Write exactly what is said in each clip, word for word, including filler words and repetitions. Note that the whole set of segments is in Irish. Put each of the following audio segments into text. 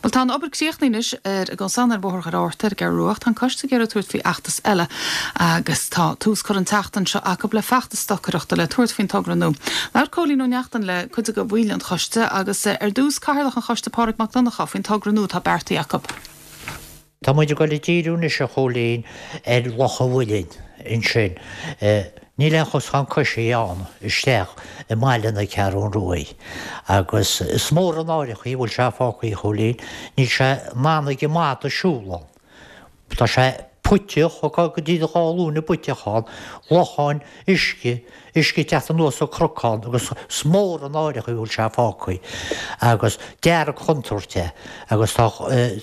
Well tá an obair críochnaithe anois ar an gcosán ar Bhóthar Dhoire Fhatharta ar an gCeathrú Rua, tá an coiste ag iarraidh tabhairt faoi fheachtas eile agus tá tús curtha an tseachtain seo acu le feachtas stocaireachta le tabhairt faoin togra nua. Labhair Cóilín Ó Neachtain le cuid de bhaill an choiste agus ar dtús cathaoirleach an choiste Pádraig Mac Donncha faoin togra nua atá beartaithe acu. Tá muid ag dul ag díriú anois a Chóilín ar Loch an Mhuilinn ansin. Níl aon chosán coisí ann isteach i mbaile na Ceathrún Rua. Agus is mór an náire an chaoi a bhfuil sé fágtha a Chóilín, níl sé in ann ag an mada siúl ann. Tá sé puiteach go dtí dhá ghlúine puiteach ann, locháin, uisce, uisce ag teacht anuas an cnocán agus is mór an náire an chaoi a bhfuil sé fágtha agus dearg-chontúirt é agus tá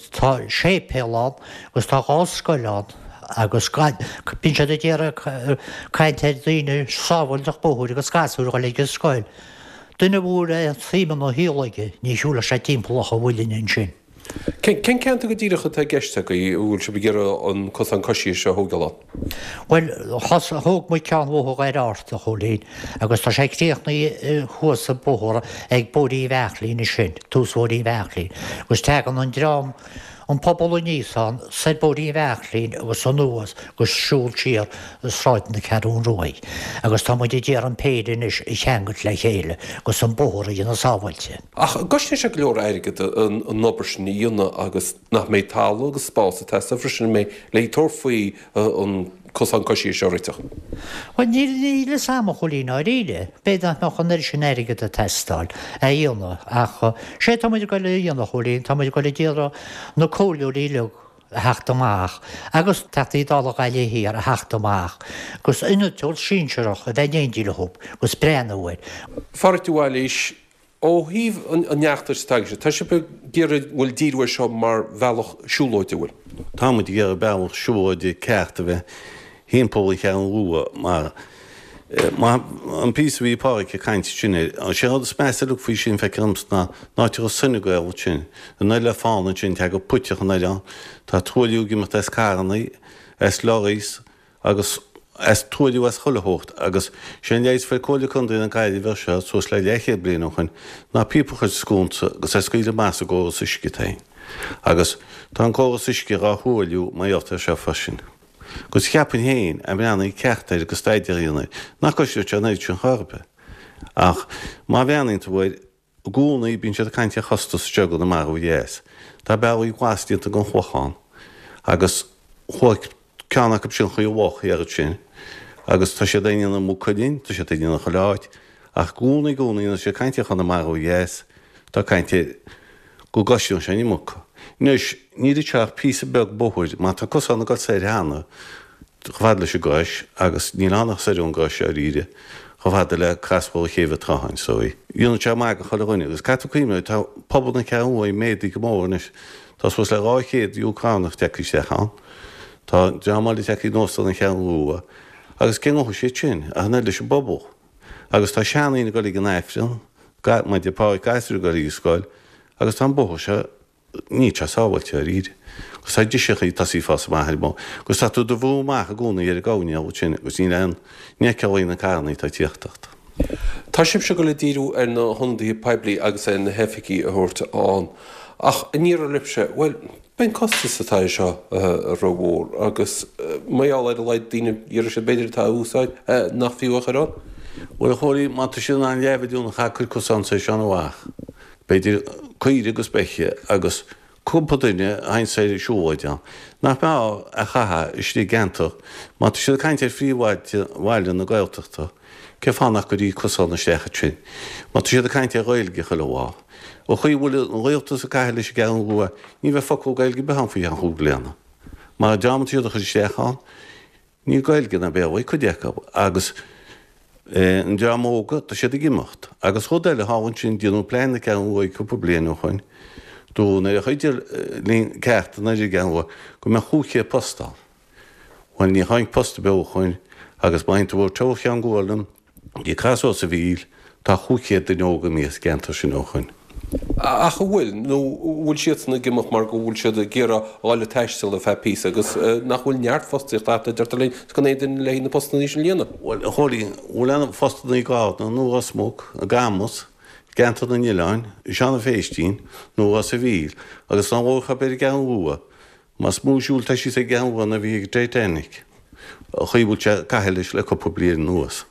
tá séipéal ann agus tá dhá scoil ann agus bíonn siad ag iarraidh caint ar daoine sábháilteacht bóthair agus gasúir a dhul ag an scoil. Duine a bhfuil aon tsuim ina shaol aige ní shiúlfaidh sé timpeall Loch an Mhuilinn ansin. Cén ceantar go díreach atá i gceist agaibh a bhfuil sibh ag iarraidh an cosán coisí seo a thógáil ann? Bhuel, thóg muid ceann Bhóthar Dhoire Fhatharta, a Chóilín, agus tá sé críochnaithe thuas sa bóthar ag Bóithrín Bheairtlín ansin, tús Bhóithrín Bheairtlín, agus tagann an dream, an pobal aníos ann, soir Bóithrín Bheairtlín agus anuas agus siúl siar Sráid na Ceathrún Ruaidh. Agus tá muid ag iarraidh an péire anois a cheangailt le chéile agus an bóthar a dhéanamh sábháilte. Ach cosnaíonn sé go leor airgead an obair sin a dhéanamh agus nach mbeidh talamh agus spás ag teastáil freisin an mbeidh le tabhairt faoi an cosán coisí seo a réiteach? Bhuel, níl níl a fhios a'm a Chóilín i ndáiríre. B'fhéidir nach mbeadh an oiread sin airgead ag teastáil a dhéanamh ach sé tá muid ag goil a dhéanamh a Chóilín, tá muid ag goil ag iarraidh na comhairleoirí uilig a theacht amach agus Teachtaí Dála Ghaillimh Thiar a theacht amach agus innealtóir sinsearach a bheith in éindí leo agus breathnú air. A Phádraic de Bhailís, ó thaobh an fheachtais atá agaibhse, tá sibh ag iarraidh, bhuel, díriú air seo mar bhealach siúlóide, an bhfuil? Tá muid ag iarraidh bealach siúlóide ceart a bheith thimpeall an Cheathrú Rua mar an píosa a bhí Pádraic ag caint sin air, sé an rud is measa uilig faoi sin, feictear domsa, ná an áit a raibh Sine Gael ansin, an oileán fána ansin, tagann puiteach an oileán, tá truailliú ag imeacht as carrannaí, as lorries agus as truailliú as chuile shórt agus sé an leigheas a fuair Comhairle Contae na Gaillimhe air seo suas le leathchéad bliain ó shoin ná píopa a chur sa sconsa agus é a scaoileadh amach sa gcóras uisce féin agus tá an córas uisce dhá thruailliú mar gheall air seo freisin. Agus cheapfainn féin, a mbreathnaí ceart air agus staidéar a dhéanamh air, nach gcosnódh sé an oiread sin chor ar bith. Ach má bhreathnaíonn tú air, i gcónaí bíonn siad ag caint ar chostas anseo i gConamara ó dheas. Tá bealaí glas déanta den Chlochán agus chuaigh ceann acu sin chuig an loch thiar ansin agus tá siad á ndéanamh i Maigh Cuilinn, tá siad á ndéanamh chuile áit ach i gcónaí, i gcónaí nuair atá siad ag caint ar Chonamara ó dheas, tá caint ar go gcosnaíonn sé an iomarca. Anois, níl anseo ach píosa beag bóthair, mar tá cosán ag dul soir cheana, chomh fada leis an gCrois, agus níl ann ach soir ón gCrois, dáiríre, chomh fada le crosbhóthar Chéibh an tSrutháin, so dhéanfadh sé maith do chuile dhuine. Agus caithfidh tú cuimhneamh, tá pobal na Ceathrún Rua méadaithe go mór anois, tá suas le dhá chéad Úcránach tagtha isteach ann, tá dream eile tagtha anuas ón Cheathrún Rua, agus cé ngabhfaidh siad sin, ach an oiread leis an bpobal. Agus tá seandaoine ag dul ag an Aifreann, mar a deir Pádraic, gasúir ag dul ag an scoil, agus tá an bóthar seo, níl sé sábháilte dáiríre. Agus tá driseachaí ag tosaí fás amach ar an mbóthar, agus tá tú do bhrú amach i gcónaí ar an gcoirnéal ansin agus níl aon ní fheiceálaí na carrannaí atá ag tíocht ort. Tá sibhse ag dul ag díriú ar na hionadaithe poiblí agus ar na hoifigigh a thabhairt ann, ach an ndéarfadh libhse, bhuel, Beidh an costas atá air seo rómhór agus mar gheall ar a laghad daoine a iarrfaidh siad b'fhéidir atá á úsáid nach fiú a chur ann. Bhuel, a Chóilín, má tá siad in ann leathmhilliún a chaitheamh cuir cosán soir is amach, b'fhéidir caoire agus beithe agus cúpla duine a théann soir ag siúlóid ann, nach mbeadh a chaitheamh istigh i gceantar, má tá siad ag caint ar phríomhbhaile na Gaeltachta, cén fáth nach gcuirfí cosán isteach ansin? Má tá siad ag caint ar Ghaeilge chuile lá, an chaoi a bhfuil an rialtas ag caitheamh leis an gCeathrú Rua, ní bheidh focal Gaeilge ar bith ann faoi cheann chúig bliana. Mar an dream atá siad a chur isteach ann, níl Gaeilge ná Béarla ag cuid acu agus an dream óga, tá siad ag imeacht. Agus rud eile thall ansin, déanadh plean na Ceathrún Rua cúpla bliain ó shoin, dúradh nuair a chuideodh linn ceart an oiread i gCeathrú Rua go mbeadh chúig chéad post ann. Bhuel, níor tháinig post ar bith ó shoin agus má théann tú ó Teamhair Cheann Guairleann go dtí Crosbhóthar sa Mhíl, tá chúig chéad duine óg imithe as an gceantar sin ó shoin. Ach an bhfuil? Nó an bhfuil siadsan ag imeacht mar go bhfuil siad ag iarraidh a dhul ag taisteal ar feadh píosa agus nach bhfuil neart fostaíochta ata, deirtear linn, is gan aon duine le haghaidh na postannaí sin a líonadh? Bhuel, a Chóilín, bhfuil aon phostannaí i gCarna nó Ros Muc, i gCamus, gCeantar na nOileán, i Seanadh Phéistín nó Ros a' Mhíl agus dá labhrófá ar an gCeathrú Rua, más mó siúl atá síos ag an gCeathrú Rua ná a bhí ag an Titanic, an chaoi a bhfuil sé ag caitheamh leis le cúpla bliain anuas.